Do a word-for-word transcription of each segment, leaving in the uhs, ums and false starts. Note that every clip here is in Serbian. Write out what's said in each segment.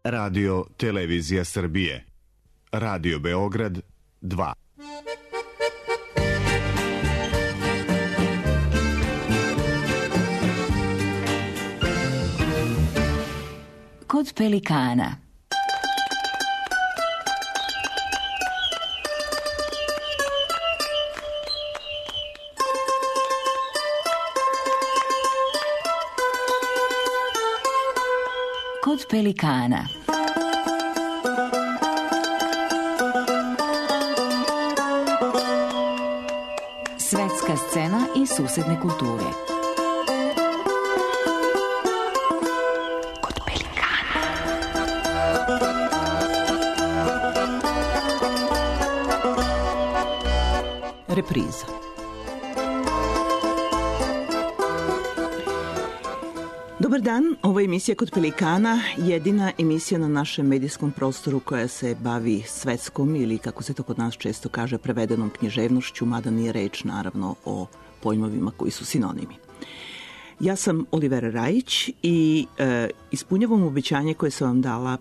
Radio Televizija Srbije. Radio Beograd dva. Kod pelikana. Kod pelikana. Svetska scena i susedne kulture. Kod pelikana. Repriza. Dobar dan, ovo je emisija Kod pelikana, jedina emisija na našem medijskom prostoru koja se bavi svetskom ili, kako se to kod nas često kaže, prevedenom književnošću, mada nije reč naravno o pojmovima koji su sinonimi. Ja sam Olivera Rajić i e, ispunjavam obećanje koje sam vam dala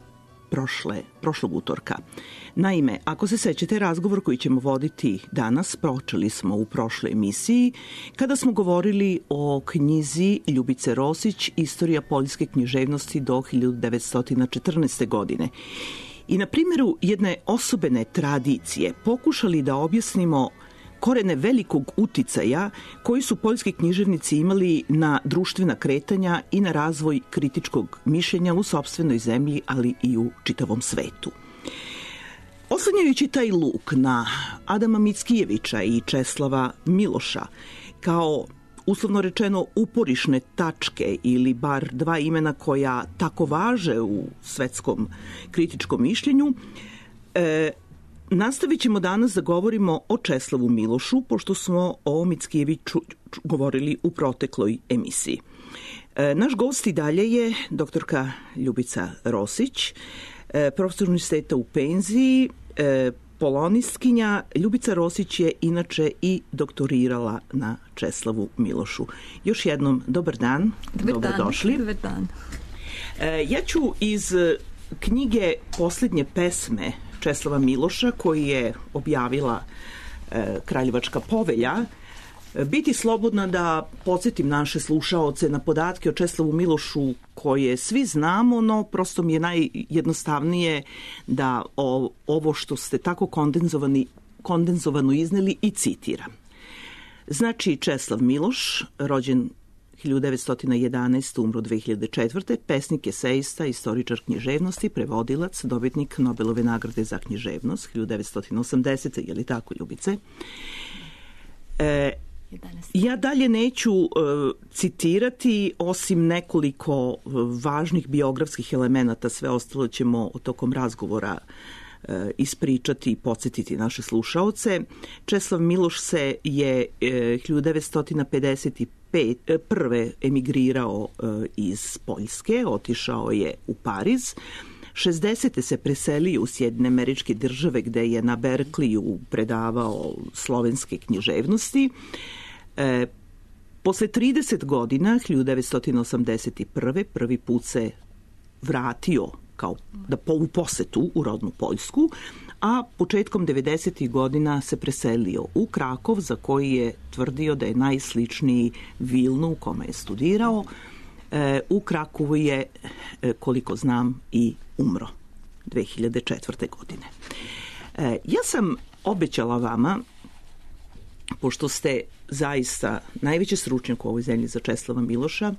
prošle, prošlog utorka. Naime, ako se sećate, razgovor koji ćemo voditi danas počeli smo u prošloj emisiji kada smo govorili o knjizi Ljubice Rosić Istorija poljske književnosti do hiljadu devetsto četrnaeste. godine. I na primjeru jedne osobene tradicije pokušali da objasnimo korene velikog uticaja koji su poljski književnici imali na društvena kretanja i na razvoj kritičkog mišljenja u sopstvenoj zemlji, ali i u čitavom svetu. Oslanjajući taj luk na Adama Mickijevića i Česlava Miloša kao, uslovno rečeno, uporišne tačke ili bar dva imena koja tako važe u svetskom kritičkom mišljenju, e, nastavit ćemo danas da govorimo o Česlavu Milošu, pošto smo o Mickijeviću govorili u protekloj emisiji. E, naš gost i dalje je doktorka Ljubica Rosić, e, profesor univerziteta u penziji, e, polonistkinja. Ljubica Rosić je inače i doktorirala na Česlavu Milošu. Još jednom, dobar dan, dobar dobrodošli. Dan, dobar dan. E, ja ću iz knjige Posljednje pesme Česlava Miloša, koji je objavila e, Kraljevačka povelja, biti slobodna da podsjetim naše slušaoce na podatke o Česlavu Milošu koje svi znamo, no prosto mi je najjednostavnije da o, ovo što ste tako kondenzovani, kondenzovano izneli i citiram. Znači, Česlav Miloš, rođen hiljadu devetsto jedanaeste. umro dve hiljade četvrte. pesnik, esejista, istoričar književnosti, prevodilac, dobitnik Nobelove nagrade za književnost hiljadu devetsto osamdesete. Je li tako, Ljubice? E, ja dalje neću e, citirati, osim nekoliko važnih biografskih elemenata, sve ostalo ćemo tokom razgovora e, ispričati i podsjetiti naše slušaoce. Česlav Miloš se je e, hiljadu devetsto pedeset prve emigrirao e, iz Poljske, otišao je u Pariz. šezdesete se preselio u Sjedinjene Američke Države, gde je na Berkliju predavao slovenske književnosti. E, posle trideset godina, hiljadu devetsto osamdeset prve. prvi put se vratio kao da po, u posetu u rodnu Poljsku, a početkom devedesetih godina se preselio u Krakov, za koji je tvrdio da je najsličniji Vilnu u kome je studirao. E, u Krakovu je, e, koliko znam, i umro dve hiljade četvrte. godine. E, ja sam obećala vama, pošto ste zaista najveći stručnjak u ovoj zemlji za Česlava Miloša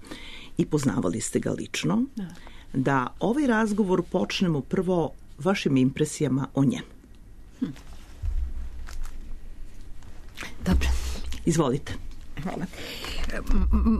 i poznavali ste ga lično, da, da ovaj razgovor počnemo prvo vašim impresijama o njemu. Hm. Dobro. Izvolite. Hvala.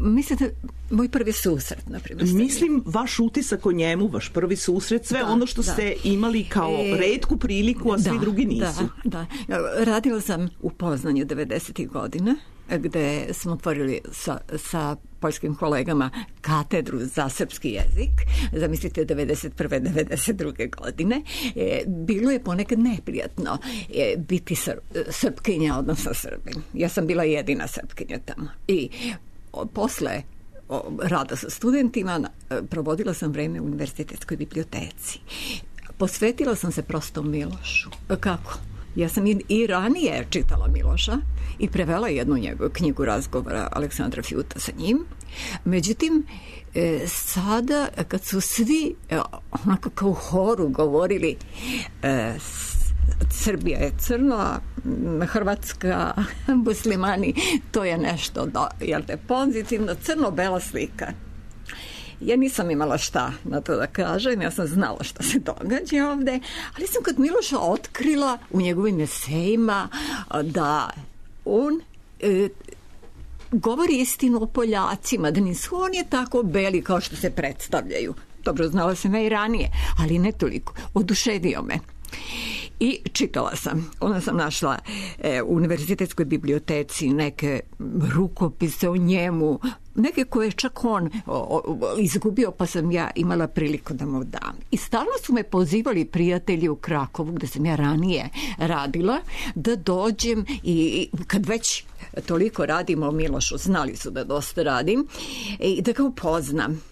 Mislite, moj prvi susret, na primjer? Mislim, vaš utisak o njemu, vaš prvi susret, sve da, ono što da. ste imali kao e, retku priliku, a svi da, drugi nisu. Da, da. Radila sam u Poznanju devedesetih godina, gde smo otvorili sa, sa poljskim kolegama katedru za srpski jezik, zamislite devedeset prve devedeset druge. godine. E, bilo je ponekad neprijatno e, biti sr, srpkinja, odnosno Srbin. Ja sam bila jedina srpkinja tamo. I o, posle rada sa studentima provodila sam vreme u univerzitetskoj biblioteci. Posvetila sam se prosto Milošu. Kako? Ja sam i, i ranije čitala Miloša i prevela jednu njegovu knjigu razgovora Aleksandra Fjuta sa njim. Međutim, e, sada kad su svi e, onako kao u horu govorili e, Srbija je crna, Hrvatska, muslimani, to je nešto da, jel te, pozitivno, crno-bela slika. Ja nisam imala šta na to da kažem, ja sam znala šta se događa ovde, ali sam kod Miloša otkrila u njegovim esejima da on e, govori istinu o Poljacima, da nisu oni tako beli kao što se predstavljaju. Dobro, znala sam ja i ranije, ali ne toliko. Oduševio me. I čitala sam, onda sam našla e, u univerzitetskoj biblioteci neke rukopise o njemu, neke koje je čak on o, o, izgubio, pa sam ja imala priliku da mu dam. I stalno su me pozivali prijatelji u Krakovu, gde sam ja ranije radila, da dođem i kad već toliko radimo o Milošu, znali su da dosta radim, i da ga upoznam.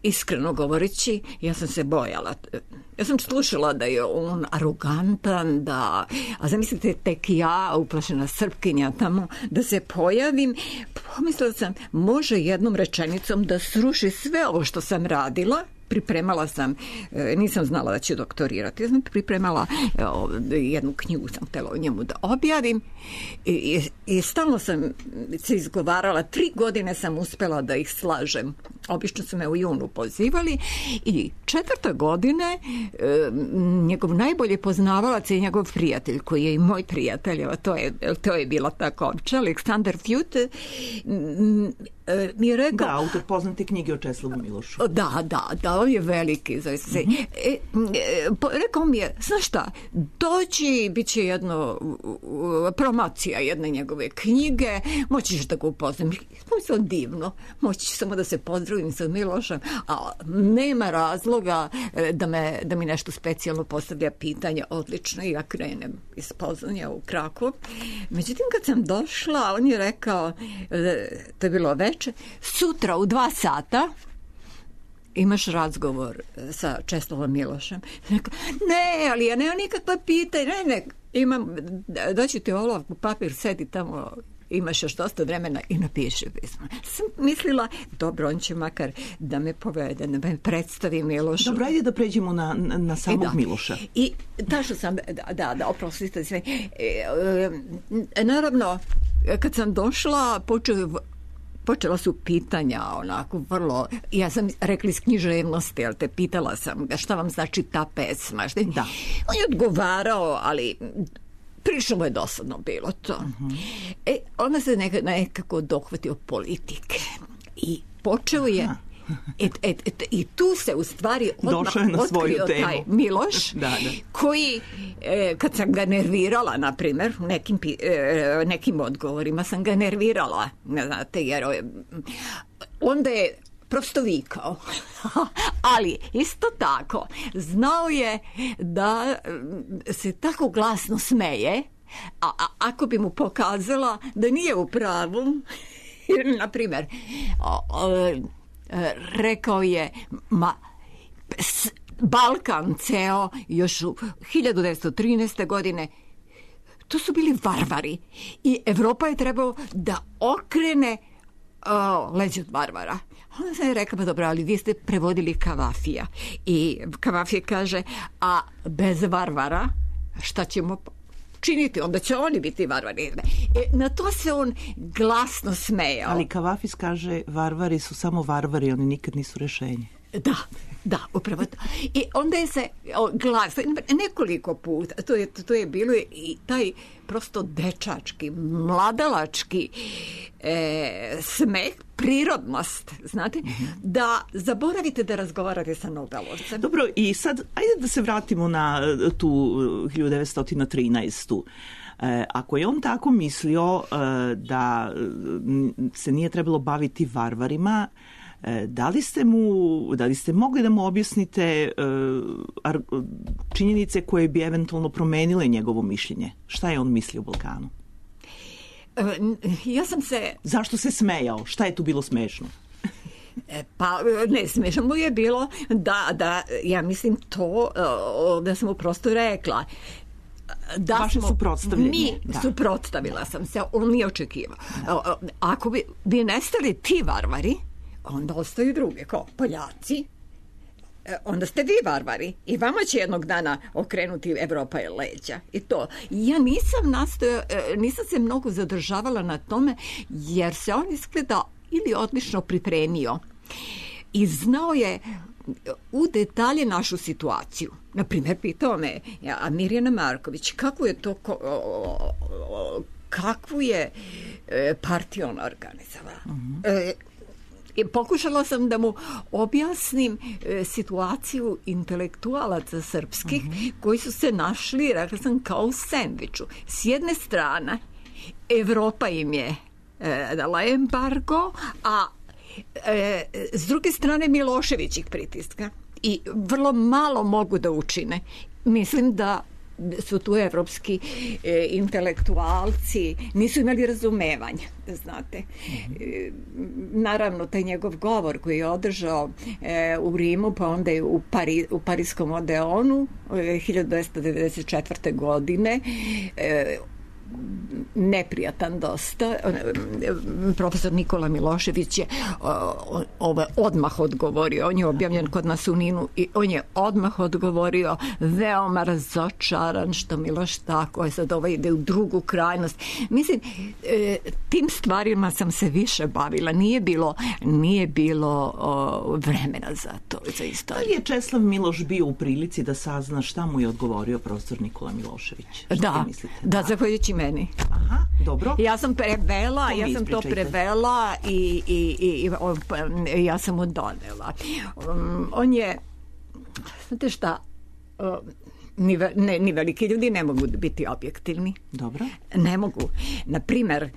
Iskreno govoreći, ja sam se bojala. Ja sam slušala da je on arogantan, da, a zamislite, tek ja, uplašena Srpkinja tamo, da se pojavim. Pomislila sam, može jednom rečenicom da sruši sve ovo što sam radila. Pripremala sam, nisam znala da će doktorirati, ja sam pripremala jednu knjigu, sam htjela o njemu da objavim i, i, i stalno sam se izgovarala, tri godine sam uspela da ih slažem. Obično su me u junu pozivali i četvrte godine njegov najbolji poznavalac je njegov prijatelj, koji je i moj prijatelj, to je, to je bila tako opća, Aleksandar Fjut, mi je rekao... Da, autor poznate knjige o Česlavu Milošu. Da, da, da, on je veliki. Zaista. Mm-hmm. E, e, rekao mi je, znaš šta, dođi, bit će jedno promocija jedne njegove knjige, moćiš da ga upoznam. Mislila divno, moći samo da se pozdravim sa Milošem, a nema razloga da, me, da mi nešto specijalno postavlja pitanje. Odlično, i ja krenem iz Poznanja u Krakov. Međutim, kad sam došla, on je rekao, to je bilo veče, sutra u dva sata imaš razgovor sa Česlavom Milošem. Rekao, ne, ali ja nemam nikakva pitanja, ne, ne, imam, daću ti olovku, papir, sedi tamo, imaš još dosta vremena i napiši pismo. Sam mislila, dobro, on će makar da me povede, da me predstavi Milošu. Dobro, ajde da pređemo na, na, na samog da. Miloša. I tašla sam, da, da, da oprostite sve. E, e, naravno, kad sam došla, počeo Počela su pitanja, onako, vrlo... Ja sam rekla iz književnosti, ali te pitala sam ga šta vam znači ta pesma. Šta? Da. On je odgovarao, ali prilično mu je dosadno bilo to. Uh-huh. E, onda se nekako, nekako dohvatio politike. I počeo je... Et, et, et, I tu se u stvari odmah otkrio taj Miloš, da, da. koji, e, kad sam ga nervirala, na primjer, nekim, e, nekim odgovorima sam ga nervirala, ne znate, jer onda je prosto vikao. Ali isto tako znao je da se tako glasno smeje, a, a ako bi mu pokazala da nije u pravu, na primjer, o, o, rekao je, ma, Balkan ceo još u hiljadu devetsto trinaeste. godine, to su bili varvari i Evropa je trebao da okrene o, leđe od varvara. Onda sam je rekla, pa dobro, ali vi ste prevodili Kavafija. I Kavafija kaže, a bez varvara šta ćemo činiti, onda će oni biti varvari. E, na to se on glasno smejao. Ali Kavafis kaže, varvari su samo varvari, oni nikad nisu rešenje. Da, da, upravo to. I onda je se glasno, nekoliko puta, to je, to je bilo i taj prosto dečački, mladalački e, smeh, prirodnost, znate, mm-hmm. da zaboravite da razgovarate sa Nobelovcem. Dobro, i sad, ajde da se vratimo na tu hiljadu devetsto trinaestu. E, ako je on tako mislio e, da se nije trebalo baviti varvarima, e, da li ste mu, da li ste mogli da mu objasnite e, ar, činjenice koje bi eventualno promenile njegovo mišljenje? Šta je on mislio o Balkanu? Ja sam se... Zašto se smejao? Šta je tu bilo smešno? Pa ne, smiješno mu je bilo da, da ja mislim to da sam mu prosto rekla da vaše smo, suprotstavljanje. Mi da. suprotstavila sam se, on nije očekivao. Da. Ako bi, bi nestali ti varvari, onda ostaju druge, kao Poljaci, onda ste vi varvari i vama će jednog dana okrenuti Evropa je leđa. I to. Ja nisam nastoja, nisam se mnogo zadržavala na tome, jer se on izgleda ili odlično pripremio i znao je u detalje našu situaciju. Naprimjer, pitao me, a Mirjana Marković, kako je to, kakvu je partiju ona organizovala? Uh-huh. I pokušala sam da mu objasnim e, situaciju intelektualaca srpskih uh-huh. koji su se našli, rekla sam, kao u sendviču. S jedne strane, Evropa im je e, dala embargo, a e, s druge strane Milošević ih pritiska. I vrlo malo mogu da učine. Mislim da su tu evropski e, intelektualci, nisu imali razumevanja, znate. E, naravno, taj njegov govor koji je održao e, u Rimu, pa onda je u, Pari, u Pariskom Odeonu e, hiljadu dvesta devedeset četvrte. godine, e, neprijatan dosta. Profesor Nikola Milošević je ovo odmah odgovorio. On je objavljen kod nas u Ninu i on je odmah odgovorio, veoma razočaran što Miloš tako je, sad ovaj ide u drugu krajnost. Mislim, tim stvarima sam se više bavila. Nije bilo, nije bilo o, vremena za to, za istoriju. Da li je Česlav Miloš bio u prilici da sazna šta mu je odgovorio profesor Nikola Milošević? Šta da, da, zahvaljujući meni. Aha, dobro. Ja sam prevela, to ja sam to prevela i, i, i, i ja sam mu donela. Um, on je, znate šta, um, ni, ne, ni veliki ljudi ne mogu biti objektivni. Dobro. Ne mogu. Naprimer,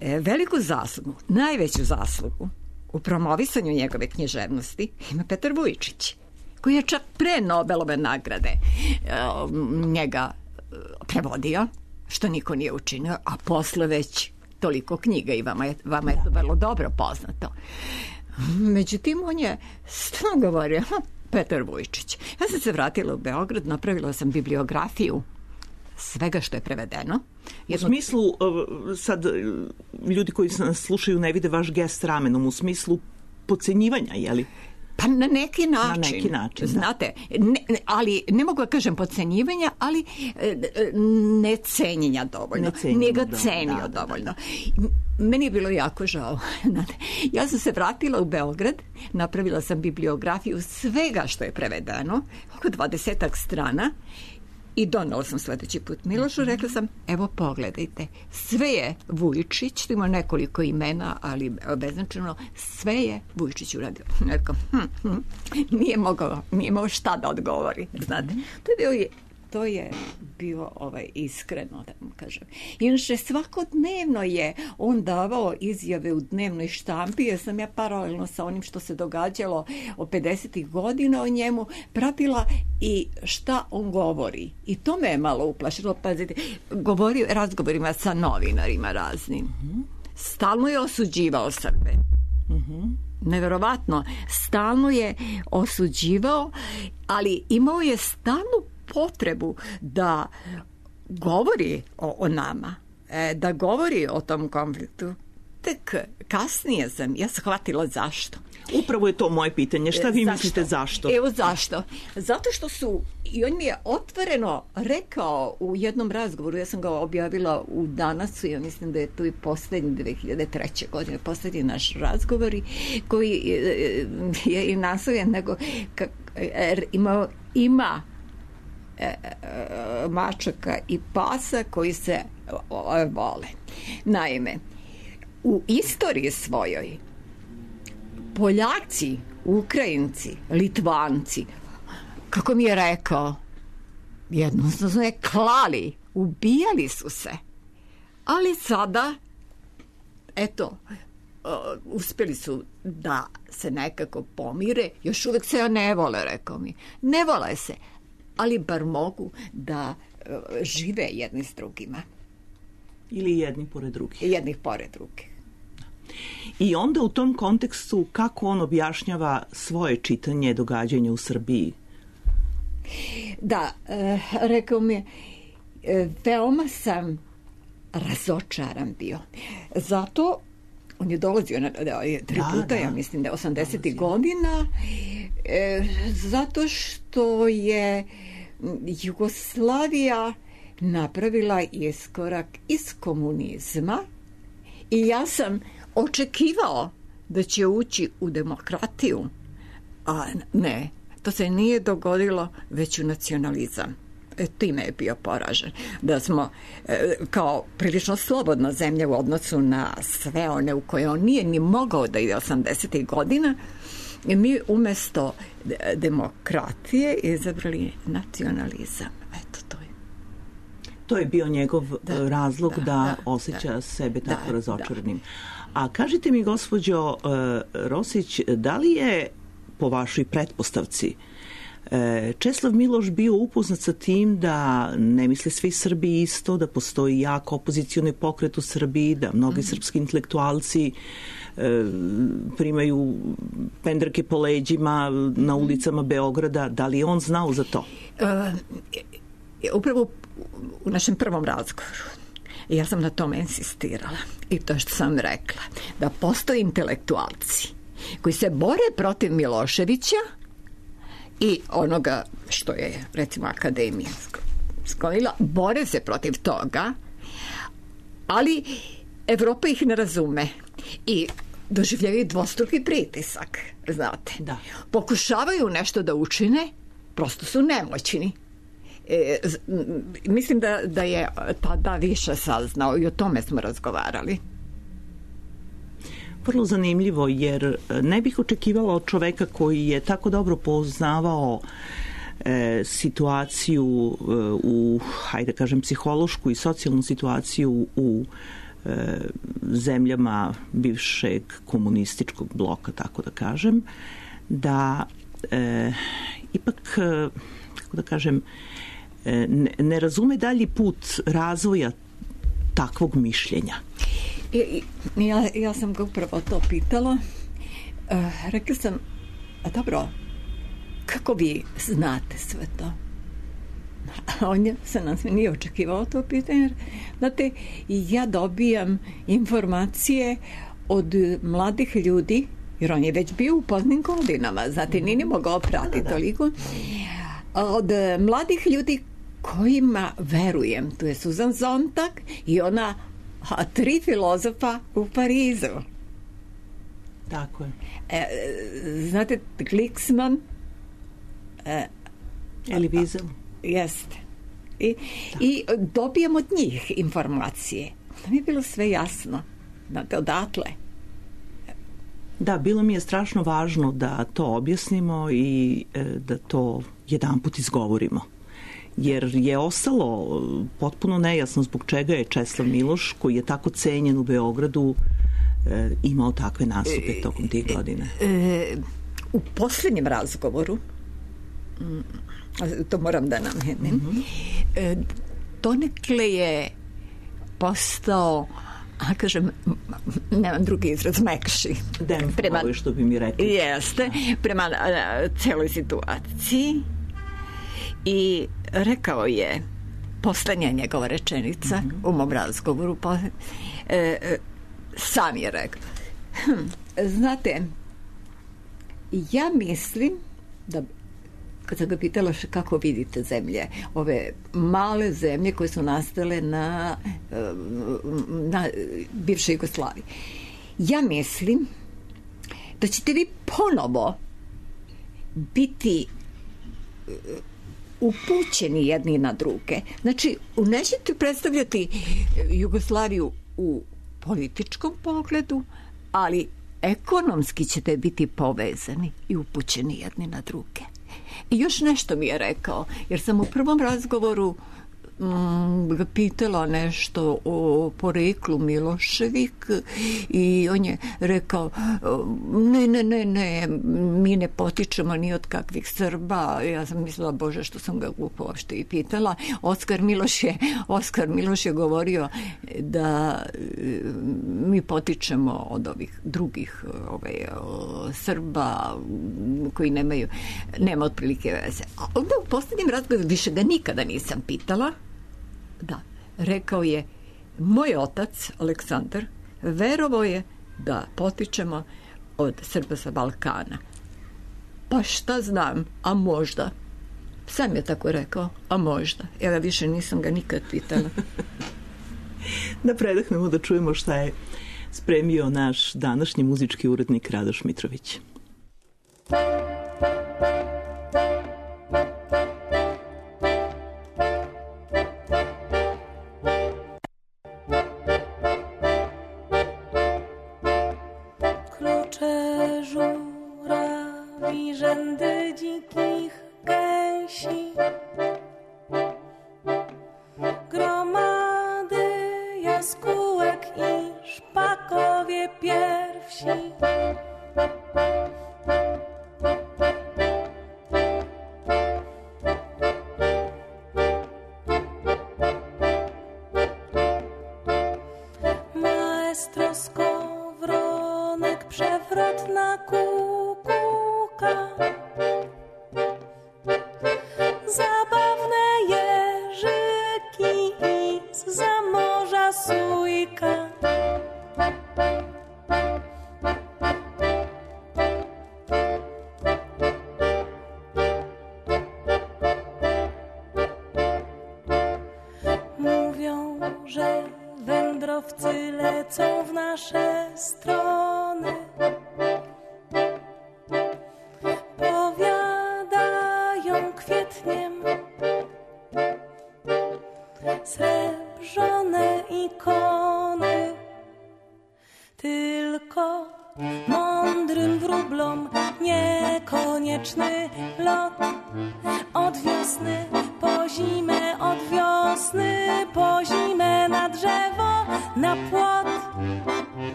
veliku zaslugu, najveću zaslugu u promovisanju njegove književnosti ima Petar Vujčić, koji je čak pre Nobelove nagrade um, njega prevodio, što niko nije učinio, a posle već toliko knjiga i vama je, vama je to vrlo dobro poznato. Međutim, on je stalno govorio, Petar Vujčić. Ja sam se vratila u Beograd, napravila sam bibliografiju svega što je prevedeno. Jedno... U smislu, sad ljudi koji nas slušaju ne vide vaš gest ramenom, u smislu podcenjivanja, je li? Pa na neki način. Na neki način, znate, ne, ali ne mogu da kažem podcenjivanja, ali ne cenjenja dovoljno. Ne Nije ga cenio da, da, dovoljno. Da. Meni je bilo jako žao. Ja sam se vratila u Beograd, napravila sam bibliografiju svega što je prevedeno, oko dvadesetak strana, i donela sam sledeći put Milošu, rekla sam, evo pogledajte, sve je Vujčić, ima nekoliko imena, ali beznačajno, sve je Vujčić uradio. Rekao, hm, hm, nije mogao, nije mogao šta da odgovori, znate. To je bio, to je bio ovaj, iskreno, da vam kažem. Inače, svakodnevno je on davao izjave u dnevnoj štampi, jer sam ja paralelno sa onim što se događalo od pedesetih godina o njemu pratila i šta on govori. I to me je malo uplašilo. Pazite, govorio razgovorima sa novinarima raznim. Uh-huh. Stalno je osuđivao Srbe. Uh-huh. Neverovatno. Stalno je osuđivao, ali imao je stalnu potrebu da govori o, o nama, da govori o tom konfliktu. Tek kasnije sam ja shvatila zašto. Upravo je to moje pitanje. Šta vi zašto? mislite zašto? Evo zašto. Zato što su, i on mi je otvoreno rekao u jednom razgovoru, ja sam ga objavila u Danasu, ja mislim da je to i poslednji dve hiljade treće. godine, poslednji naš razgovor, koji je i nasloven, nego ima, ima mačaka i pasa koji se vole. Naime, u istoriji svojoj Poljaci, Ukrajinci, Litvanci, kako mi je rekao, jednostavno je klali, ubijali su se. Ali sada, eto, uspjeli su da se nekako pomire, još uvek se ne vole, rekao mi. Ne vole se, ali bar mogu da žive jedni s drugima. Ili jedni pored drugih. Jednih pored drugih. I onda u tom kontekstu kako on objašnjava svoje čitanje događanja u Srbiji? Da, e, rekao mi je, e, veoma sam razočaran bio. Zato on je dolazio na, da, je, tri da, puta, da. ja mislim da je osamdesetih godina, e, zato što je Jugoslavija napravila iskorak iz komunizma i ja sam očekivao da će ući u demokratiju, a ne, to se nije dogodilo, već u nacionalizam. E, time je bio poražen. Da smo e, kao prilično slobodna zemlja u odnosu na sve one u koje on nije ni mogao da ide osamdesetih godina, i mi umesto demokratije izabrali nacionalizam. Eto, to je. To je bio njegov Da, razlog da, da, da da, osjeća da, sebe da, tako razočaranim. A kažite mi, gospođo uh, Rosić, da li je po vašoj pretpostavci Česlav Miloš bio upoznat sa tim da ne misle svi Srbi isto, da postoji jak opozicioni pokret u Srbiji, da mnogi mm-hmm. srpski intelektualci e, primaju pendreke po leđima na ulicama Beograda. Da li je on znao za to? Uh, upravo u našem prvom razgovoru ja sam na tome insistirala. I to što sam rekla, da postoje intelektualci koji se bore protiv Miloševića i onoga što je, recimo, akademija sklonila, bore se protiv toga, ali Evropa ih ne razume i doživljaju dvostruki pritisak, znate. Da. Pokušavaju nešto da učine, prosto su nemoćni. E, mislim da, da je tada više saznao i o tome smo razgovarali. Vrlo zanimljivo, jer ne bih očekivala od čoveka koji je tako dobro poznavao e, situaciju e, u, hajde kažem, psihološku i socijalnu situaciju u e, zemljama bivšeg komunističkog bloka, tako da kažem, da e, ipak, e, kako da kažem, e, ne, ne razume dalji put razvoja takvog mišljenja. I, ja, ja sam ga upravo to pitala. Uh, rekla sam, a dobro, kako vi znate sve to? A on je se nas nije očekivao to pitanje. Znate, ja dobijam informacije od mladih ljudi, jer on je već bio u poznim godinama, znate, nije mogao pratiti toliko. Od mladih ljudi kojima verujem, tu je Susan Sontag i ona a tri filozofa u Parizu. Tako je. E, znate, Glicksman, e, Elie Wiesel. Jeste. I, i dobijem od njih informacije. To mi je bilo sve jasno. Znate, odatle. Da, bilo mi je strašno važno da to objasnimo i e, da to jedanput izgovorimo. Jer je ostalo potpuno nejasno zbog čega je Česlav Miloš, koji je tako cenjen u Beogradu, e, imao takve nastupe tokom tih godina. E, u posljednjem razgovoru, to moram da namenem, mm-hmm. e, donekle je postao, a kažem, nemam drugi izraz, mekši. Demflovi, što bi mi rekli. Jeste, prema a, celoj situaciji. I rekao je, poslednja njegova rečenica mm-hmm. u mom razgovoru, pa, e, e, sam je rekao, hm, znate, ja mislim da, kad sam ga pitala kako vidite zemlje, ove male zemlje koje su nastale na, na bivšoj Jugoslaviji, ja mislim da ćete vi ponovo biti upućeni jedni na druge. Znači, nećete predstavljati Jugoslaviju u političkom pogledu, ali ekonomski ćete biti povezani i upućeni jedni na druge. I još nešto mi je rekao, jer sam u prvom razgovoru ga pitala nešto o poreklu Miloševik i on je rekao ne, ne, ne, ne, mi ne potičemo ni od kakvih Srba. Ja sam mislila, Bože, što sam ga glupo uopšte i pitala. Oskar Miloš je, Oskar Miloš je govorio da mi potičemo od ovih drugih ovaj, Srba koji nemaju, nema otprilike veze. A onda u posljednjem razgovoru više ga nikada nisam pitala. Da, rekao je, moj otac, Aleksandar, verovao je da potičemo od Srba sa Balkana. Pa šta znam, a možda. Sam je tako rekao, a možda. Ja više nisam ga nikad pitala. Da predahnemo, da čujemo šta je spremio naš današnji muzički urednik Radoš Mitrović.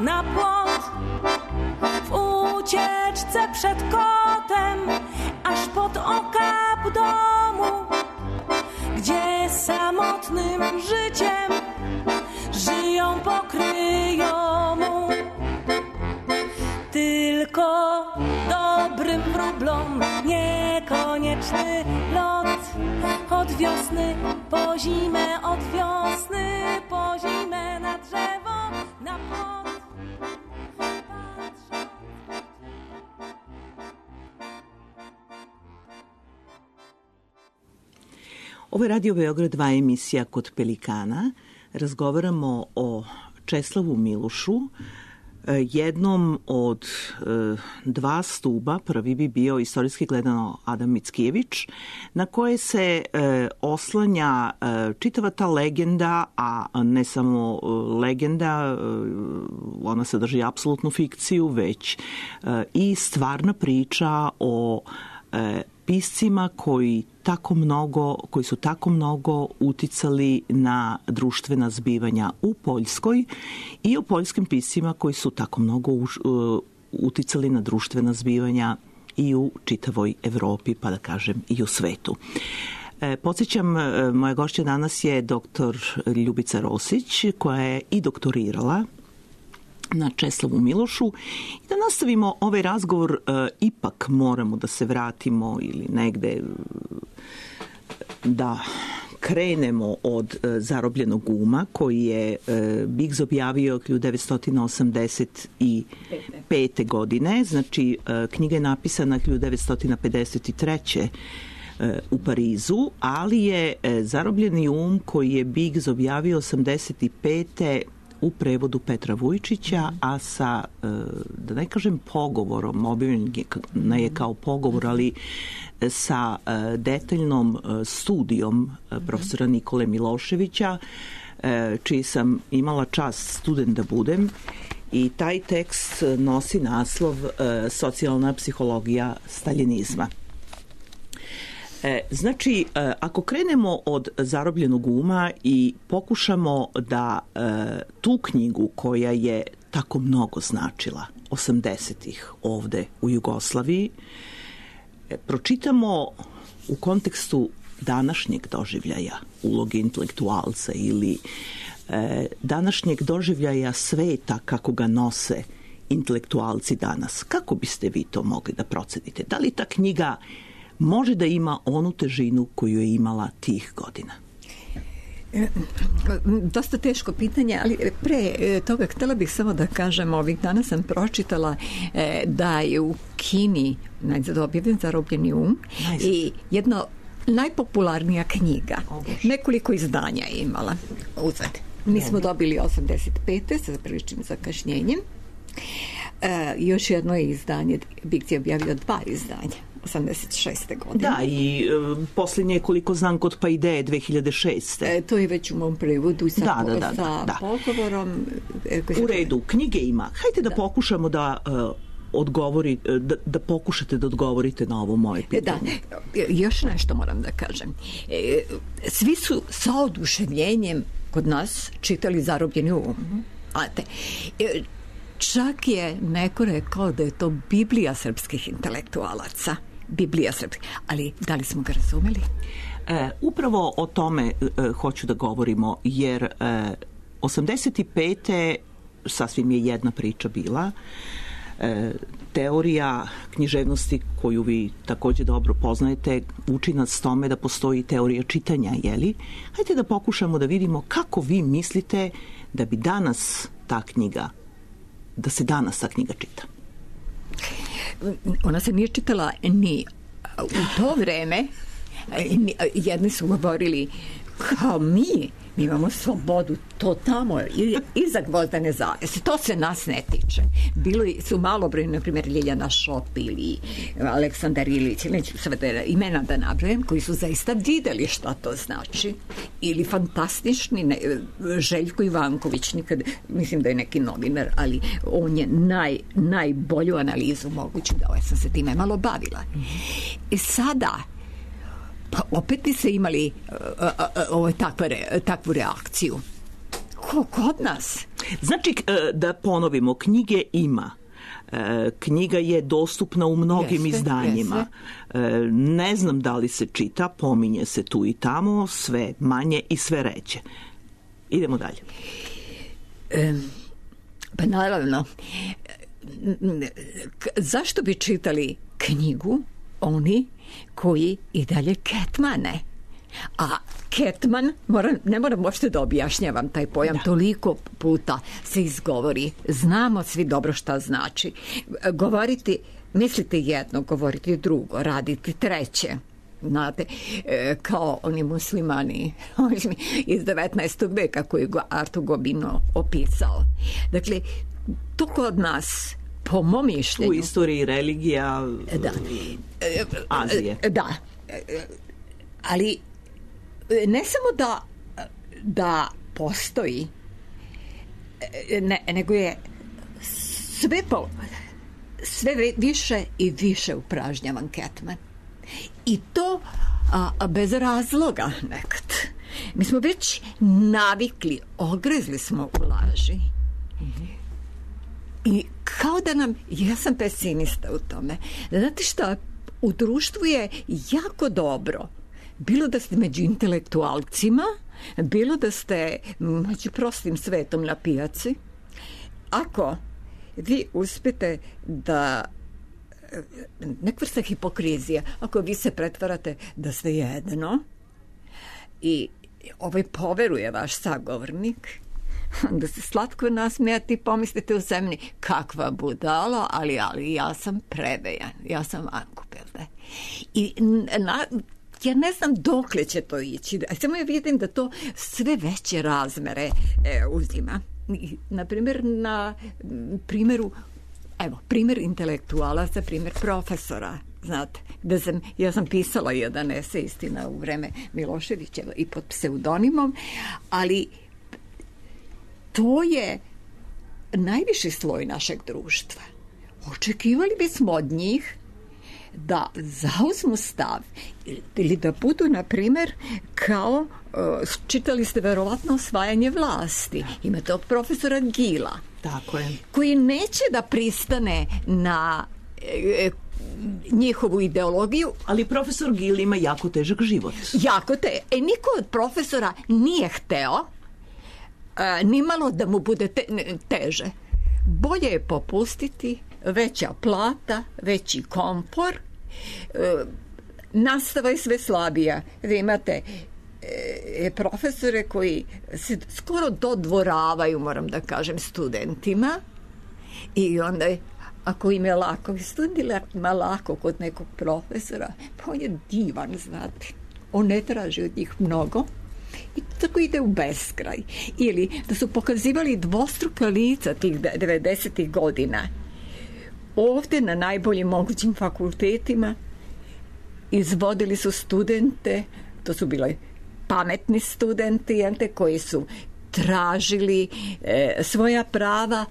Na płot przed kotem, aż pod okap domu, gdzie samotnym życiem żyją pokryjomu. Tylko dobrym wróblom niekonieczny lot, od wiosny po zimę, od wiosny po zimę na drzewo, na płot. Ovo je Radio Beograd dva emisija Kod pelikana. Razgovaramo o Česlavu Milošu, jednom od dva stuba. Prvi bi bio istorijski gledano Adam Mickijević, na koje se oslanja čitava ta legenda, a ne samo legenda, ona sadrži apsolutnu fikciju, već i stvarna priča o piscima koji tako mnogo, koji su tako mnogo uticali na društvena zbivanja u Poljskoj i o poljskim piscima koji su tako mnogo uticali na društvena zbivanja i u čitavoj Evropi, pa da kažem i u svetu. E, podsjećam, moja gošća danas je doktor Ljubica Rosić, koja je i doktorirala na Česlavu Milošu. I da nastavimo ovaj razgovor, e, ipak moramo da se vratimo ili negde da krenemo od e, Zarobljenog uma, koji je e, Biggs objavio hiljadu devetsto osamdeset pete. godine. Znači, e, knjiga je napisana hiljadu devetsto pedeset treće. u Parizu, ali je e, Zarobljeni um koji je Biggs objavio osamdeset pete. u prevodu Petra Vujčića, a sa, da ne kažem pogovorom, objavljen je kao pogovor, ali sa detaljnom studijom profesora Nikole Miloševića, čiji sam imala čast student da budem, i taj tekst nosi naslov Socijalna psihologija staljinizma. E, znači, e, ako krenemo od Zarobljenog uma i pokušamo da e, tu knjigu koja je tako mnogo značila osamdesetih ovde u Jugoslaviji, e, pročitamo u kontekstu današnjeg doživljaja uloge intelektualca ili e, današnjeg doživljaja sveta kako ga nose intelektualci danas. Kako biste vi to mogli da procenite? Da li ta knjiga može da ima onu težinu koju je imala tih godina? Dosta teško pitanje, ali pre toga htela bih samo da kažem, ovih dana sam pročitala da je u Kini najzad objavljen Zarobljeni um i jedno najpopularnija knjiga. Nekoliko izdanja je imala uzad. Mi smo dobili osamdeset pete sa priličnim zakašnjenjem. E, još jedno je izdanje, Biggs je objavio dva izdanja osamdeset šeste. godine. Da, i e, posljednje je, koliko znam, kod Paideje dve hiljade šeste. E, to je već u mom prevodu sa, da, da, da, sa da. pogovorom. E, u redu, knjige ima. Hajde da, da. pokušamo da uh, odgovori, da, da pokušate da odgovorite na ovo moje pitanje. Da, još nešto moram da kažem. E, svi su sa oduševljenjem kod nas čitali Zarobljeni um. Mm-hmm. Ate, e, čak je neko rekao da je to Biblija srpskih intelektualaca. Biblija srpskih. Ali da li smo ga razumeli? E, upravo o tome e, hoću da govorimo, jer e, osamdeset pete. sasvim je jedna priča bila. E, teorija književnosti koju vi takođe dobro poznajete uči nas tome da postoji teorija čitanja, jeli? Hajde da pokušamo da vidimo kako vi mislite da bi danas ta knjiga, da se danas ta knjiga čita. Ona se nije čitala ni u to vreme. Jedni su govorili kao mi, mi imamo slobodu, to tamo iza gvozdene zavese, to se nas ne tiče. Bilo su malobrojni, na primjer Ljiljana Šop ili Aleksandar Ilić, neću sve da imena da nabrojim, koji su zaista videli šta to znači. Ili fantastični ne, Željko Ivanković, nikad, mislim da je neki novinar, ali on je naj, najbolju analizu moguću dao, ja sam se time malo bavila. I sada pa opet bi se imali ovo takve, takvu reakciju. Ko kod nas? Znači, da ponovimo, knjige ima, Knjiga je dostupna u mnogim jeste, izdanjima. Jeste. Ne znam da li se čita, pominje se tu i tamo, sve manje i sve reće. Idemo dalje. E, pa naravno, zašto bi čitali knjigu oni koji i dalje Ketmane? A Ketman, moram, ne moram uopšte da objašnjavam taj pojam, da. Toliko puta se izgovori, znamo svi dobro šta znači. Govoriti, mislite jedno, govoriti drugo, raditi treće. Znate, kao oni muslimani iz devetnaestog veka koji je Arthur Gobino opisao. Dakle, to kod nas, po mom mišljenju... U istoriji religija da. Azije. Da, ali ne samo da, da postoji, ne, nego je sve, po, sve više i više upražnjavan Ketman. I to a, a bez razloga nekad. Mi smo već navikli, ogrezli smo u laži. Mm-hmm. I kao da nam, ja sam pesimista u tome, znate šta, u društvu je jako dobro, bilo da ste među intelektualcima, bilo da ste među prostim svetom na pijaci, ako vi uspete da nek vrsta hipokrizija, ako vi se pretvarate da ste jedno i ovaj poveruje vaš sagovornik, da se slatko nasmijati, pomislite u zemlji kakva budala, ali, ali ja sam prevejan, ja sam ankupelde. I na, ja ne znam dokle će to ići, samo ja vidim da to sve veće razmere e, uzima. Na primjer, na primjeru, evo, primjer intelektualaca, primjer profesora, znate, da sam, ja sam pisala jedan esej, istina, u vreme Miloševićeva i pod pseudonimom, ali to je najviši sloj našeg društva. Očekivali bismo od njih da zauzmu stav ili da budu, na primjer, kao, uh, čitali ste verovatno Osvajanje vlasti. Ima tog profesora Gila. Tako je. Koji neće da pristane na e, njihovu ideologiju. Ali profesor Gil ima jako težak život. Jako te. E, niko od profesora nije hteo a, nimalo da mu bude te, ne, teže. Bolje je popustiti, veća plata, veći komfor, e, nastava je sve slabija. Vi imate e, profesore koji se skoro dodvoravaju, moram da kažem, studentima, i onda je, ako im je lako, studentima lako kod nekog profesora, pa on je divan, znate. On ne traži od njih mnogo i tako ide u beskraj. Ili da su pokazivali dvostruka lica tih devedesetih godina. Ovdje na najboljim mogućim fakultetima izvodili su studente, to su bile pametni studenti, koji su tražili e, svoja prava,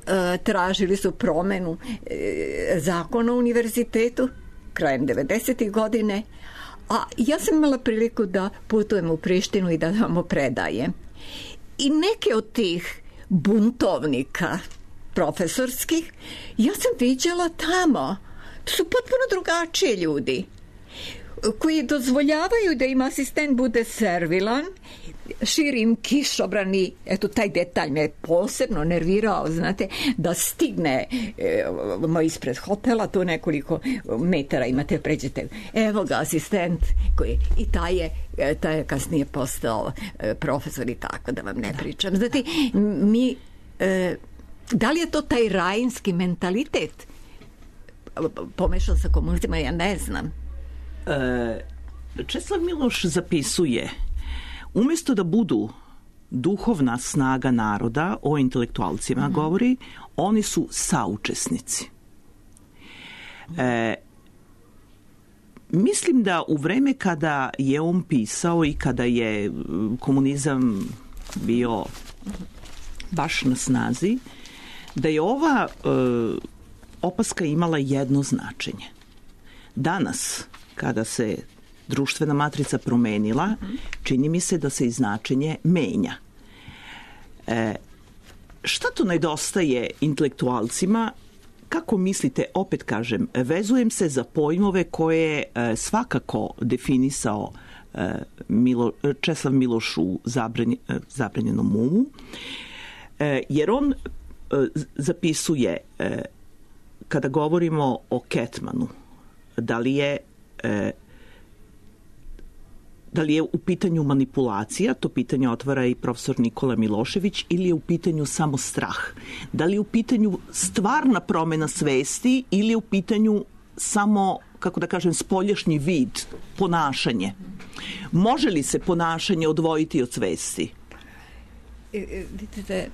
e, tražili su promenu e, zakona o univerzitetu krajem devedesetih godine, a ja sam imala priliku da putujem u Prištinu i da vam predajem. I neke od tih buntovnika profesorskih ja sam viđala tamo. To su potpuno drugačiji ljudi koji dozvoljavaju da im asistent bude servilan, širim kišobrani, eto taj detalj me posebno nervirao, znate, da stigne e, ispred hotela, tu nekoliko metara imate, pređete, evo ga asistent, koji, i taj je, taj je kasnije postao e, profesor i tako, da vam ne pričam. Znate, mi, e, da li je to taj rajinski mentalitet? Pomešao sa komunistima, ja ne znam. Česlav Miloš zapisuje: umjesto da budu duhovna snaga naroda, o intelektualcima mm-hmm. govori, oni su saučesnici. E, mislim da u vreme kada je on pisao i kada je komunizam bio baš na snazi, da je ova e, opaska imala jedno značenje. Danas, kada se društvena matrica promenila, čini mi se da se i značenje menja. E, šta to nedostaje intelektualcima kako mislite, opet kažem, vezujem se za pojmove koje je svakako definisao Milo, Česlav Miloš u zabranj, zabranjenom umu, jer on zapisuje, kada govorimo o Ketmanu, da li je da li je u pitanju manipulacija, to pitanje otvara i profesor Nikola Milošević, ili je u pitanju samo strah? Da li je u pitanju stvarna promena svesti ili je u pitanju samo, kako da kažem, spoljašnji vid, ponašanje? Može li se ponašanje odvojiti od svesti? Vidite,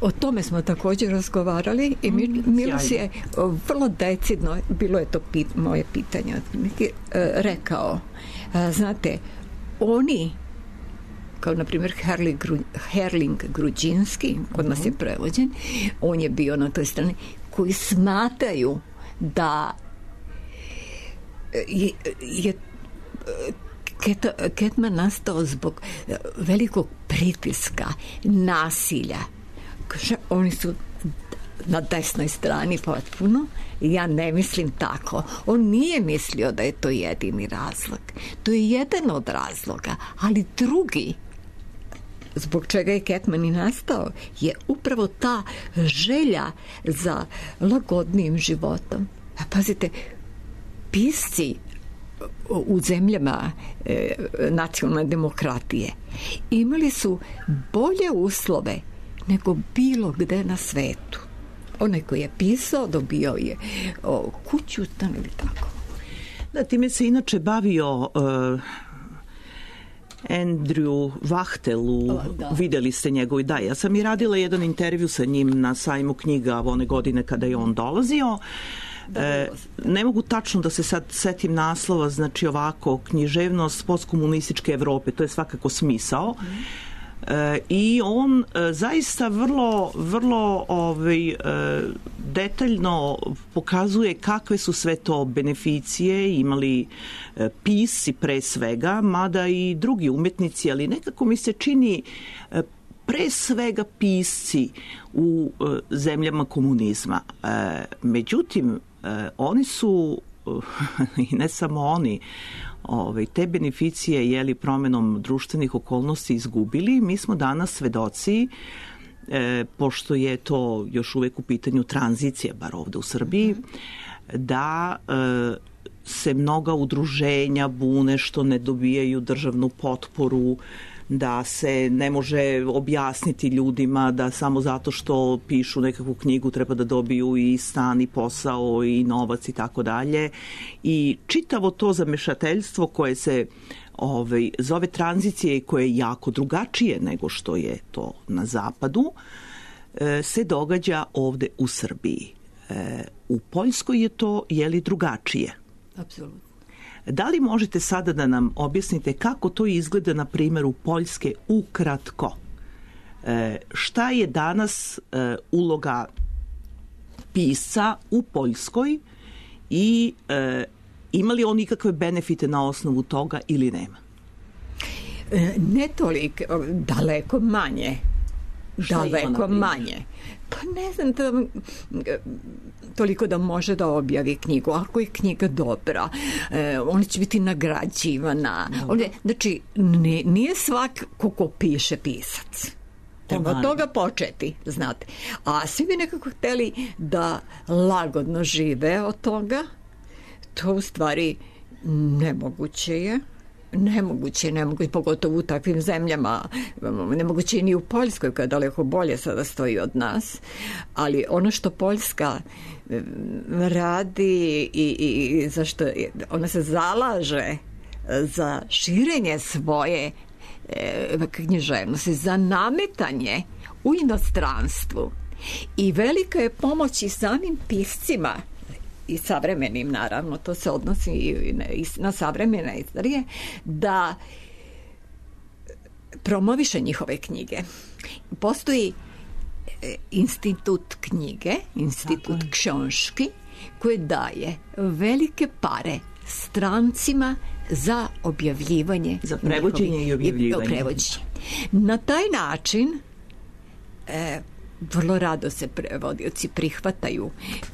o tome smo također razgovarali i Miloš je vrlo decidno, bilo je to pit, moje pitanje, rekao, znate, oni, kao na primjer Herling, Herling Gruđinski, kod nas je prevođen, on je bio na toj strani, koji smatraju da je, je Ket, Ketman nastao zbog velikog pritiska, nasilja. Oni su na desnoj strani potpuno. Ja ne mislim tako. On nije mislio da je to jedini razlog. To je jedan od razloga, ali drugi, zbog čega je Ketman i nastao, je upravo ta želja za lagodnim životom. A pazite, pisci u zemljama e, nacionalne demokratije imali su bolje uslove nego bilo gde na svetu. Onaj koji je pisao dobio je o, kuću, stan ili tako. Da, time se inače bavio uh, Andrew Wachtelu, da. Videli ste njegov, da, ja sam i radila jedan intervju sa njim na sajmu knjiga one godine kada je on dolazio. E, ne mogu tačno da se sad setim naslova, znači ovako, književnost postkomunističke Evrope, to je svakako smisao. E, i on e, zaista vrlo vrlo ovaj, e, detaljno pokazuje kakve su sve to beneficije imali e, pisci pre svega, mada i drugi umetnici, ali nekako mi se čini e, pre svega pisci u e, zemljama komunizma. E, međutim, e, oni su i ne samo oni, Ove, te beneficije jeli promenom društvenih okolnosti izgubili. Mi smo danas svedoci, e, pošto je to još uvek u pitanju tranzicije, bar ovde u Srbiji, da e, se mnoga udruženja bune što ne dobijaju državnu potporu, da se ne može objasniti ljudima da samo zato što pišu nekakvu knjigu treba da dobiju i stan i posao i novac i tako dalje. I čitavo to zamešateljstvo koje se ovaj, zove tranzicije i koje je jako drugačije nego što je to na zapadu, se događa ovde u Srbiji. U Poljskoj je to, je li, drugačije? Apsolutno. Da li možete sada da nam objasnite kako to izgleda na primjeru Poljske ukratko? E, šta je danas e, uloga pisca u Poljskoj i e, ima li on ikakve benefite na osnovu toga ili nema? E, ne toliko, daleko manje. Šta daleko manje. Pa ne znam, to, toliko da može da objavi knjigu. Ako je knjiga dobra, e, ona će biti nagrađivana. Ovdje, znači, ne, nije svak ko piše pisac. Treba od toga početi, znate. A svi bi nekako hteli da lagodno žive od toga. To u stvari nemoguće je. Nemoguće, nemoguće, pogotovo u takvim zemljama, nemoguće ni u Poljskoj koja daleko bolje sada stoji od nas, ali ono što Poljska radi i, i zašto ona se zalaže za širenje svoje e, književnosti, za nametanje u inostranstvu i velika je pomoć i samim piscima i savremenim, naravno, to se odnosi i na savremene istorije, da promoviše njihove knjige. Postoji institut knjige, institut książki, koji daje velike pare strancima za objavljivanje. Za prevođenje i objavljivanje. Prevođenje. Na taj način e, vrlo rado se prevodioci prihvataju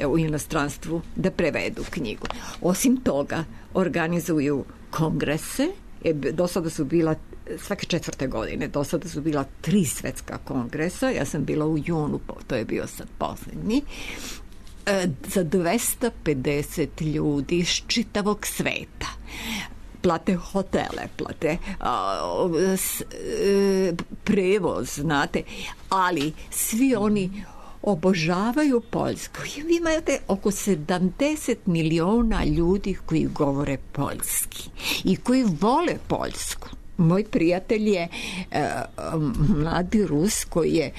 u inostranstvu da prevedu knjigu. Osim toga, organizuju kongrese. Do sada su bila svake četvrte godine, do sada su bila tri svetska kongresa. Ja sam bila u junu, to je bio sad poslednji, za dvesta pedeset ljudi iz čitavog sveta. Plate hotele, plate a, s, e, prevoz, znate, ali svi oni obožavaju Poljsku. Vi imate oko sedamdeset miliona ljudi koji govore poljski i koji vole Poljsku. Moj prijatelj je e, mladi Rus koji je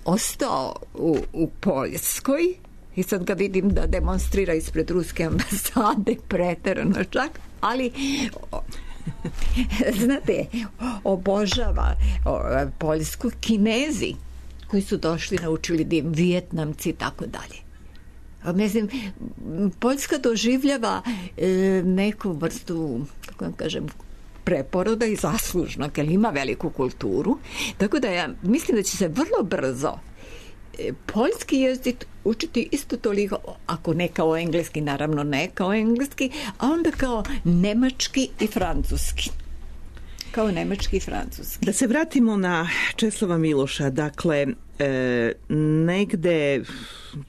ostao u, u Poljskoj i sad ga vidim da demonstrira ispred ruske ambasade, preterano čak, ali znate, obožava Poljsku. Kinezi koji su došli, naučili dim, Vijetnamci i tako dalje. Mislim, Poljska doživljava e, neku vrstu, kako vam kažem, preporoda i zaslužnog, jer ima veliku kulturu, tako da ja mislim da će se vrlo brzo poljski jezik učiti isto toliko, ako ne kao engleski, naravno ne kao engleski, a onda kao nemački i francuski. Kao nemački i francuski. Da se vratimo na Česlava Miloša. Dakle, e, negde,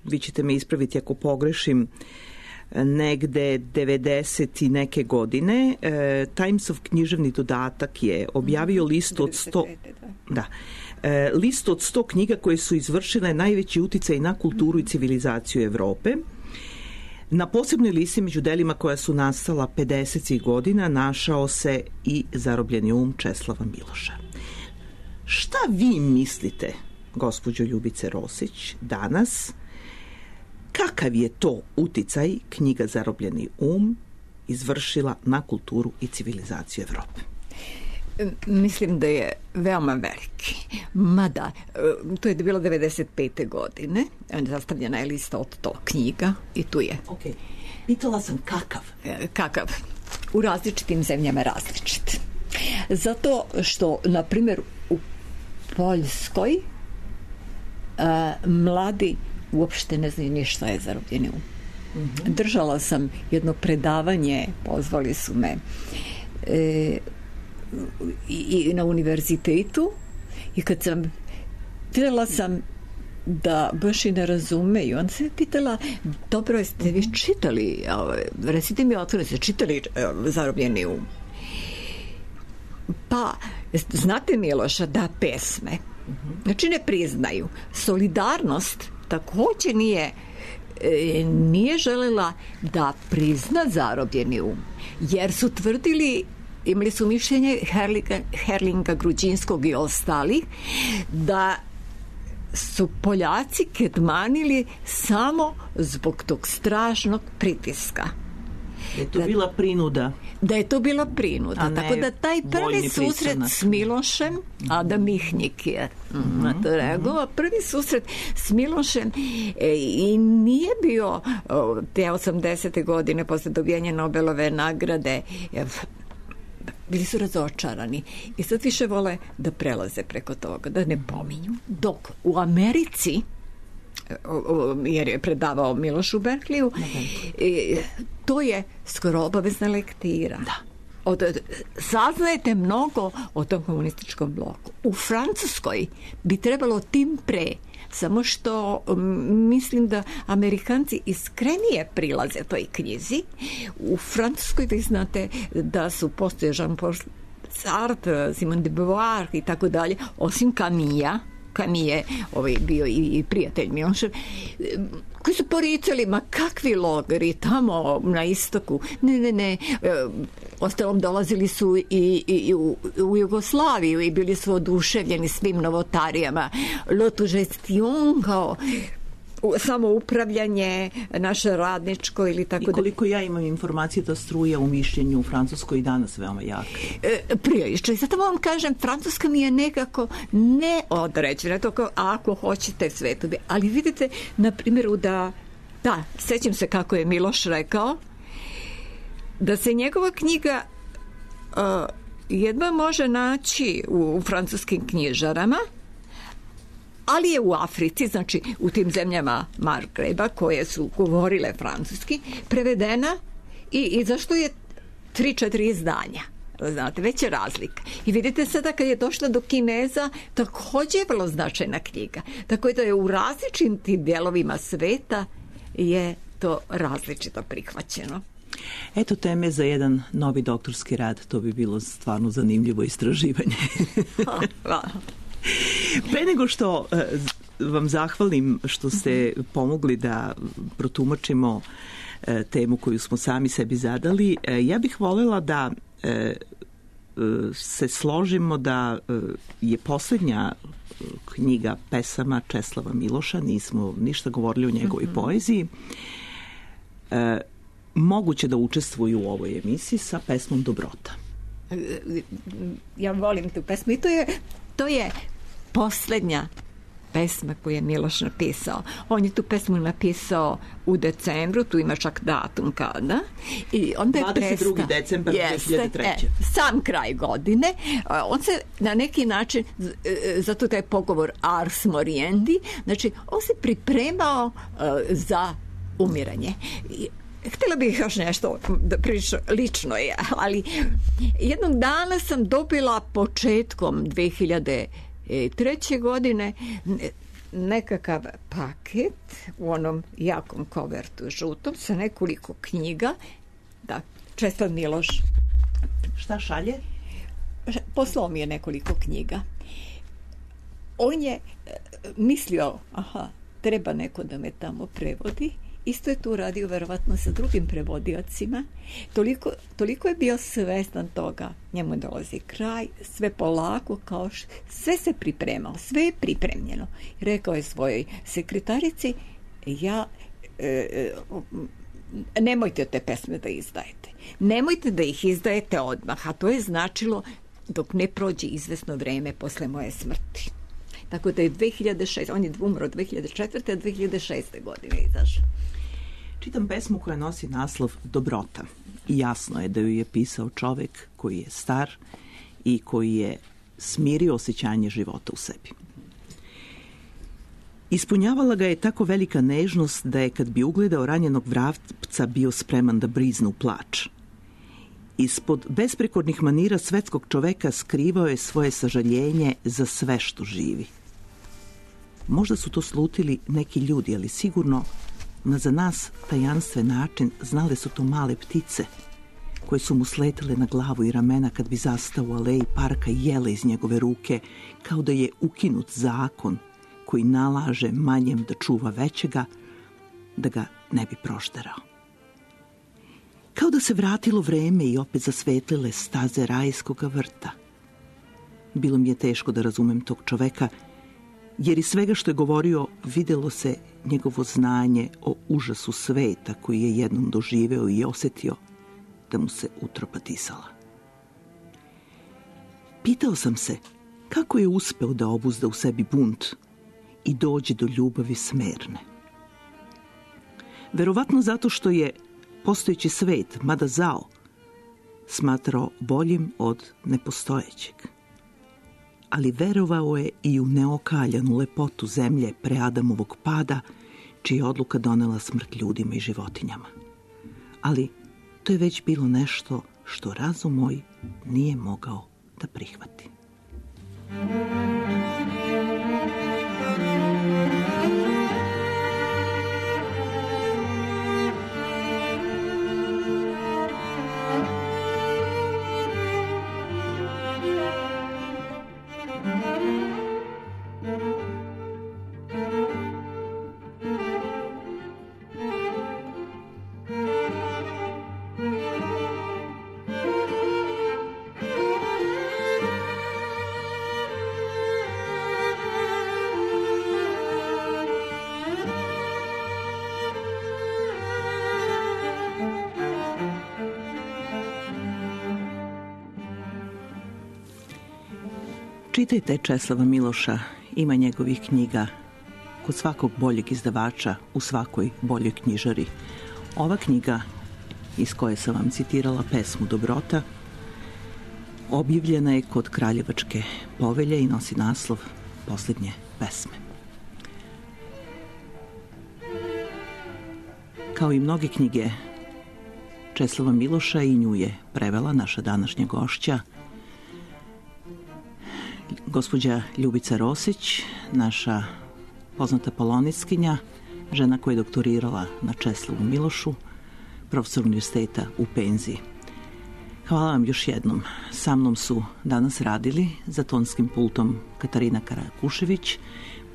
vi ćete me ispraviti ako pogrešim, negde devedeset i neke godine, e, Timesov književni dodatak je objavio listu od sto... Da. E, listu od sto knjiga koje su izvršile najveći uticaj na kulturu i civilizaciju Evrope. Na posebnoj listi među delima koja su nastala pedesetih godina našao se i Zarobljeni um Česlava Miloša. Šta vi mislite, gospođo Ljubice Rosić, danas, kakav je to uticaj knjiga Zarobljeni um izvršila na kulturu i civilizaciju Evrope? Mislim da je veoma veliki. Mada, to je bilo devedeset pete godine, zastavljena je lista od sto knjiga i tu je. Okay. Pitala sam kakav? Kakav? U različitim zemljama različit. Zato što, na primjer, u Poljskoj a, mladi uopšte ne znaju ništa je Zarobljeni um. Mm-hmm. Držala sam jedno predavanje, pozvali su me e, i na univerzitetu i kad sam pitala sam da baš i ne razumeju, onda sam pitala, dobro, jeste vi čitali, recite mi otvoreno, ste čitali Zarobljeni um? Pa, znate Miloša, da, pesme, znači ne priznaju. Solidarnost takođe nije nije želela da prizna Zarobljeni um, jer su tvrdili, imali su mišljenje Herlinga, Herlinga Gruđinskog i ostalih, da su Poljaci kedmanili samo zbog tog strašnog pritiska. Da je to da, bila prinuda. Da je to bila prinuda. Tako da taj prvi susret s Milošem, mm-hmm. Adam Mihnik je mm-hmm. na to reagovao, prvi susret s Milošem e, i nije bio o, te osamdesete godine posle dobijanja Nobelove nagrade, e, bili su razočarani i sad više vole da prelaze preko toga, da ne pominju. Dok u Americi, jer je predavao Miloš u Berkliju, to je skoro obavezna lektira. Da. Od, saznajete mnogo o tom komunističkom bloku. U Francuskoj bi trebalo tim pre, samo što m, mislim da Amerikanci iskrenije prilaze toj knjizi. U Francuskoj vi znate da su postoje Jean-Paul Sartre, Simone de Beauvoir i tako dalje, osim Camilla, Camille je ovaj, bio i, i prijatelj Milošev, koji su poricali, ma kakvi logori tamo na istoku. Ne, ne, ne. E, ostalom dolazili su i, i, i u, u Jugoslaviju i bili su oduševljeni svim novotarijama. L'autogestion, kao samo upravljanje naše radničko ili tako da. I koliko ja imam informacije da struja u mišljenju u Francuskoj i danas veoma jaka. E, prilično. I zato vam kažem, Francuska mi je nekako neodređena. To kao, ako hoćete sve to bi. Ali vidite, na primjeru da, da, sećam se kako je Miloš rekao, da se njegova knjiga uh, jedva može naći u, u francuskim knjižarama, ali je u Africi, znači u tim zemljama Margreba koje su govorile francuski, prevedena i, i zašto je tri, četiri izdanja. Znate, već je razlika. I vidite sada kad je došla do Kineza, također je vrlo značajna knjiga. Tako da je u različitim dijelovima sveta je to različito prihvaćeno. Eto teme za jedan novi doktorski rad, to bi bilo stvarno zanimljivo istraživanje. Pre nego što vam zahvalim što ste pomogli da protumačimo temu koju smo sami sebi zadali, ja bih voljela da se složimo da je posljednja knjiga pesama Česlava Miloša, nismo ništa govorili o njegovoj mm-hmm. poeziji, moguće da učestvuju u ovoj emisiji sa pesmom Dobrota. Ja volim tu pesmu i to je, to je posljednja pesma koju je Miloš napisao. On je tu pesmu napisao u decembru, tu ima čak datum kada. I onda je dvadeset drugi decembar dve hiljade treće. E, sam kraj godine. On se na neki način, zato taj pogovor Ars Moriendi, znači on se pripremao uh, za umiranje. I, htjela bih još nešto da prilično lično je, ali jednog dana sam dobila početkom dve hiljade treće godine nekakav paket u onom jakom kovertu žutom sa nekoliko knjiga. Da, Česlav Miloš. Šta šalje? Poslao mi je nekoliko knjiga. On je mislio, aha, treba neko da me tamo prevodi. Isto je tu radio verovatno sa drugim prevodiocima. Toliko, toliko je bio svestan toga. Njemu dolazi kraj, sve polako, kao š... sve se pripremao, sve je pripremljeno. Rekao je svojoj sekretarici, ja e, e, nemojte te pesme da izdajete. Nemojte da ih izdajete odmah, a to je značilo dok ne prođe izvesno vreme posle moje smrti. Tako da je dve hiljade šeste. On je umro dve hiljade četvrte. a dve hiljade šeste. godine izašao. Čitam pesmu koja nosi naslov Dobrota. I jasno je da ju je pisao čovjek koji je star i koji je smirio osjećanje života u sebi. Ispunjavala ga je tako velika nežnost da je kad bi ugledao ranjenog vrapca bio spreman da briznu plač. Ispod besprekornih manira svetskog čoveka skrivao je svoje sažaljenje za sve što živi. Možda su to slutili neki ljudi, ali sigurno na za nas tajanstven način znale su to male ptice koje su mu sletele na glavu i ramena kad bi zastao u aleji parka i jele iz njegove ruke, kao da je ukinut zakon koji nalaže manjem da čuva većega, da ga ne bi prošterao. Kao da se vratilo vreme i opet zasvetlile staze rajskoga vrta. Bilo mi je teško da razumem tog čoveka, jer iz svega što je govorio videlo se njegovo znanje o užasu sveta koji je jednom doživeo i osjetio da mu se utropa disala. Pitao sam se kako je uspeo da obuzda u sebi bunt i dođe do ljubavi smerne. Verovatno zato što je postojeći svet, mada zao, smatrao boljim od nepostojećeg. Ali verovao je i u neokaljanu lepotu zemlje pre Adamovog pada, čija je odluka donela smrt ljudima i životinjama. Ali to je već bilo nešto što razum moj nije mogao da prihvati. Čitajte Česlava Miloša, ima njegovih knjiga kod svakog boljeg izdavača u svakoj boljoj knjižari. Ova knjiga, iz koje sam vam citirala pesmu Dobrota, objavljena je kod Kraljevačke povelje i nosi naslov Posljednje pesme. Kao i mnoge knjige Česlava Miloša, i nju je prevela naša današnja gošća, gospođa Ljubica Rosić, naša poznata polonistkinja, žena koja je doktorirala na Česlavu Milošu, profesor univerziteta u penziji. Hvala vam još jednom. Sa mnom su danas radili za tonskim pultom Katarina Karakušević,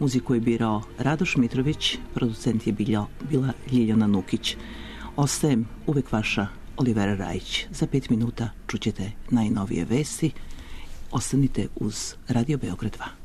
muziku je birao Radoš Mitrović, producent je bila, bila Ljiljana Nukić. Ostajem uvek vaša Olivera Rajić. Za pet minuta čućete najnovije vesti. Ostanite uz Radio Beograd dva.